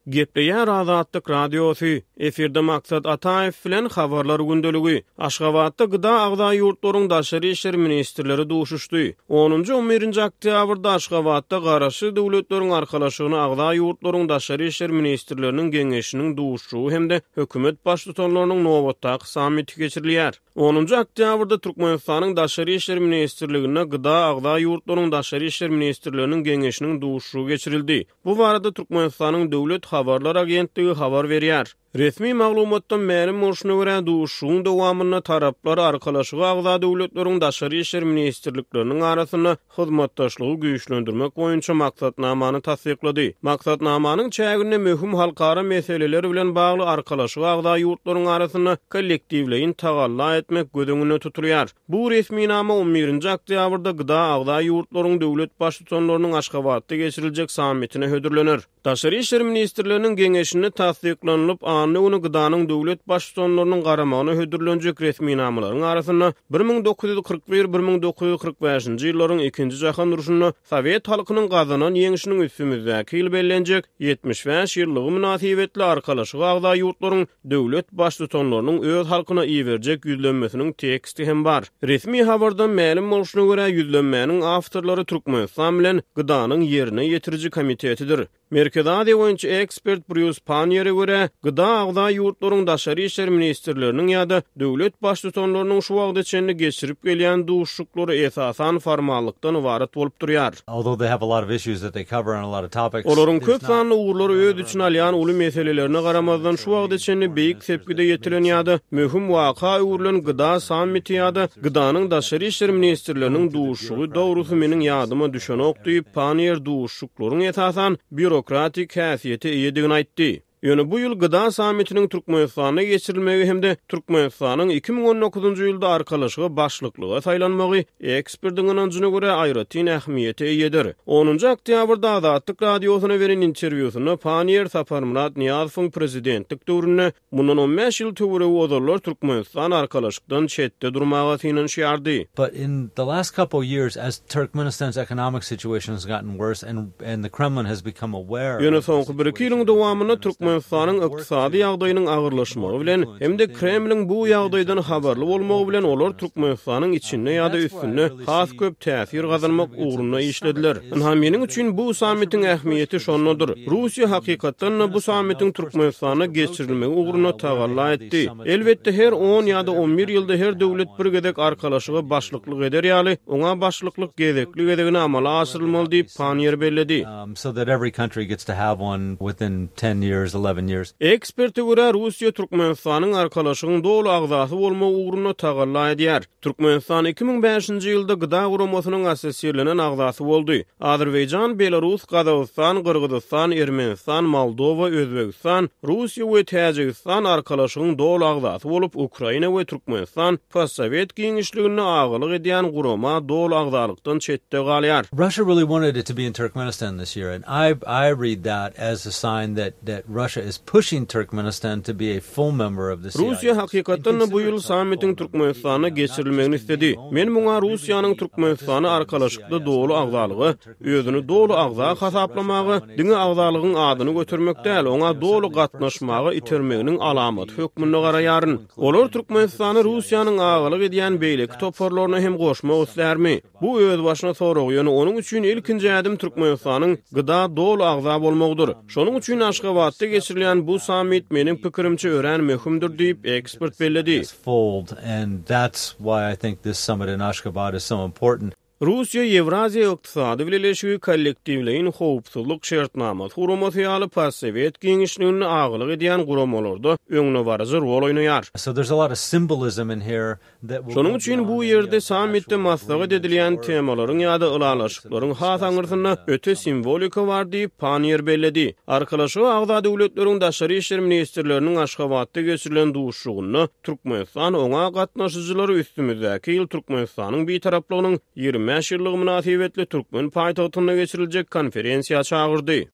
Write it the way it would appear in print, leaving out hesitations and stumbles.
Gepleýär Azatlyk Radiosy, efirde Maksat Ataýew bilen Habarlar gündeligi. Aşgabatda GDA agza ýurtlaryň daşary işler ministrleri duşuşdy. Onunjy-on birinji oktýabrda Aşgabatda Garaşsyz Döwletleriň Arkalaşygyna agza ýurtlaryň daşary işler ministrleriniň geňeşiniň duşuşygy hem-de hökümet baştutanlarynyň nobatdaky sammiti geçirilýär. Onunjy oktýabrda Türkmenistanyň Daşary işler ministrliginde GDA agza ýurtlaryň daşary işler ministrleriniň geňeşiniň duşuşygy geçirildi. Bu barada Türkmenistanyň Döwlet habarlar agentligi habar berýär. Resmi maglumatdan mälim bolşuna görä, duşuşygyň dowamynda taraplar Arkalaşyga agza döwletleriň daşary işler ministrlikleriniň arasynda hyzmatdaşlygy güýçlendirmek boýunça maksatnamany tassyklady. Maksatnamanyň çäginde möhüm halkara meseleler bilen bagly Arkalaşyga agza ýurtlaryň arasynda kollektiwleýin tagalla etmek göz öňünde tutulýar. Bu resminama on birinji oktýabrda GDA agza ýurtlaryň döwlet Baştutanlarynyň Aşgabatda geçiriljek sammitine hödürlener. Daşary işler ministrleriniň geňeşinde tassyklanylyp, anna güni GDA-nyň döwlet Baştutanlarynyň garamagyna hödürlenjek resminamalaryň arasynda 1941, 1945-nji ýyllaryň Ikinji jahan urşunda sowet halkynyň gazanan ýeňşiniň üstümizdäki ýyl bellenjek 75 ýyllygy mynasybetli Arkalaşyga agza ýurtlaryň döwlet Baştutanlarynyň öz halkyna iberjek ýüzlenmesiniň teksti hem bar. Resmi habardan mälim bolşuna görä, ýüzlenmäniň awtorlary Türkmenistan bilen GDA-nyň Ýerine ýetiriji komitetidir. Merkezi Aziýa boýunça ekspert Brýus Panniýere görä, GDA agza ýurtlaryň daşary işler ministrleriniň ýa-da döwlet Baştutanlarynyň şu wagta çenli geçirip gelýän duşuşyklary esasan formallykdan ybarat bolup durýar. Olaryň köp sanly ugurlary öz içine alýan uly meselelerine garamazdan, şu wagta çenli beýik sepgide ýetilen ýa-da möhüm waka öwrülen GDA sammiti ýa-da GDA-nyň daşary işler ministrleriniň duşuşygy dogrusy meniň ýadyma düşenok diýip, Panniýer duşuşyklaryň esasan býurokratik häsiýete eýedigini aýtdy. Ýöne bu ýyl GDA sammitiniň Türkmenistanda geçirilmegi hem-de Türkmenistanyň 2019-njy ýylda Arkalaşyga başlyklyga saýlanmagy ekspertiň ynanjyna görä aýratyn ähmiýete eýedir. Onunjy oktýabrda Azatlyk Radiosyna beren interwýusynda Panniýer Saparmyrat Nyýazowyň prezidentlik döwründe Mundan on bäş ýyl töweregi ozallar Türkmenistan Arkalaşykdan çetde durmaga synanyşýardy. But in the last couple years as Turkmenistan's economic situation has gotten worse and and the Kremlin has become aware Ýöne soňky bir-iki ýylyň dowamynda Türkmenistanyň ykdysady ýagdaýynyň agyrlaşmagy bilen hem-de Kremliň bu ýagdaýdan habarly bolmagy bilen olar Türkmenistanyň içinde ýa-da üstünde has köp täsir gazanmak ugrunda işlediler. Ynha, meniň üçin bu sammitiň ähmiýeti şondadyr. Russiýa hakykatdan-da bu sammitiň Türkmenistanda geçirilmegi ugrunda tagalla etdi. Elbetde, her on ýa-da on bir ýylda her döwlet bir gezek Arkalaşyga başlyklyk eder ýaly, oňa başlyklyk gezekli-gezegine amala aşyrylmaly diýip, Panniýer belledi. Eksperte görä, Russiýa Türkmenistanyň Arkalaşygyň doly agzasy bolmagy ugrunda tagalla edýär. Türkmenistan 2005-nji ýylda GDA guramasynyň assosirlenen agzasy boldy. Azerbaýjan, Belarus, Gazagystan, Gyrgyzystan, Ermenistan, Moldowa, Özbegistan, Russiýa we Täjigistan Arkalaşygyň doly agzasy bolup, Ukraina we Türkmenistan postsowet giňişliginde agalyk edýän gurama doly agzalykdan çetde galýar. Russia really wanted it to be in Turkmenistan this year and I I read that as a sign that that Russia is pushing Turkmenistan to be a full member of the CIS. Russiýa hakykatdan-da bu ýyl sammitiň Türkmenistanda geçirilmegini isledi. Men muňa Russiýanyň Türkmenistany Arkalaşykda doly agzalyga, özüni doly agza hasaplamaga, diňe agzalygyň adyny götermek däl, oňa doly gatnaşmaga itermeginiň alamaty hökmünde garaýaryn. Olar Türkmenistany Russiýanyň agalyk edýän beýleki toparlaryna hem goşmak islärmi? Bu özbaşyna sorag, ýöne onuň üçin ilkinji ädim Türkmenistanyň GDA doly agza bolmagydyr. Şonuň üçin Aşgabatda geçirilýän bu sammit meniň pikirimçe örän möhümdir diýip, ekspert belledi. Russiýa Ýewraziýa ykdysady bileleşigi kollektiwleýin howpsuzlyk şertnamasy guramasy ýaly postsowet giňişliginde agalyk edýän guramalarda öňdebaryjy rol oýnaýar. Şonuň üçin bu ýerde sammitde maslahat edilýän temalaryň ýa-da ylalaşyklaryň has aňyrsynda öte simwolika bar diýip, Panniýer belledi. Arkalaşyga agza döwletleriň daşary işler ministrleriniň Aşgabatda geçirilen duşuşygynda Türkmenistan oňa gatnaşyjylary üstümizdäki ýyl Türkmenistanyň Bitaraplygynyň 25 ýyllygy mynasybetli türkmen paýtagtynda geçiriljek konferensiýa çagyrdy.